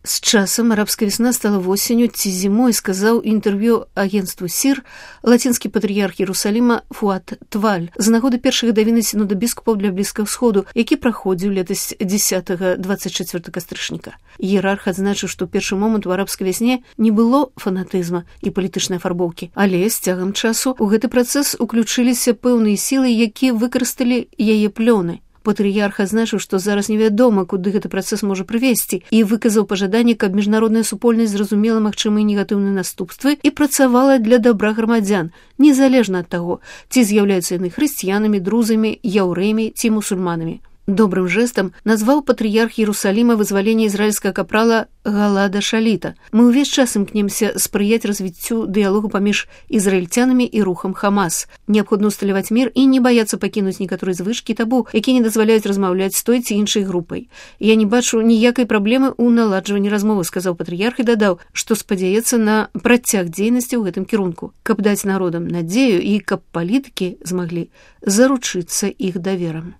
С часам арабская весна стала осенью ці зимой, сказаў інтэрв'ю агентству СІР лацінскі патрыярх Іерусаліма Фуад Тваль з нагоды першых гадавіны сінода біскупаў для Блізкага Сходу, які праходзіў летась 10-24 кастрычніка. Іерарх адзначыў, што ў першы момант у арабскай вясне не было фанатызма і палітычнай афарбоўкі, але з цягам часу ў гэты працэс уключыліся пэўныя сілы, якія выкарысталі яе плёны. Патрыярх адзначыў, што зараз невядома, куды гэты працэс можа прывесці, і выказаў пажаданне, каб міжнародная супольнасць зразумела магчымыя негатыўныя наступствы і працавала для дабра грамадзян, незалежна ад таго, ці з'яўляюцца яны хрысціянамі, друзамі, яўрэямі ці мусульманамі. Добрым жэстам назваў патрыярх Іерусаліма вызваленне ізраільскага капрала Галада Шаліта. Мы ўвесь час імкнемся спрыяць развіццю дыялогу паміж ізраільцянамі і рухам Хамас. Неабходна ўсталяваць мір і не баяцца пакінуць некаторыя звычкі табу, якія не дазваляюць размаўляць з той ці іншай групай. Я не бачу ніякай праблемы ў наладжванні размовы, сказаў патрыярх і дадаў, што спадзяецца на працяг дзейнасці ў гэтым кірунку, каб даць народам надзею і каб палітыкі змаглі заручыцца іх даверам.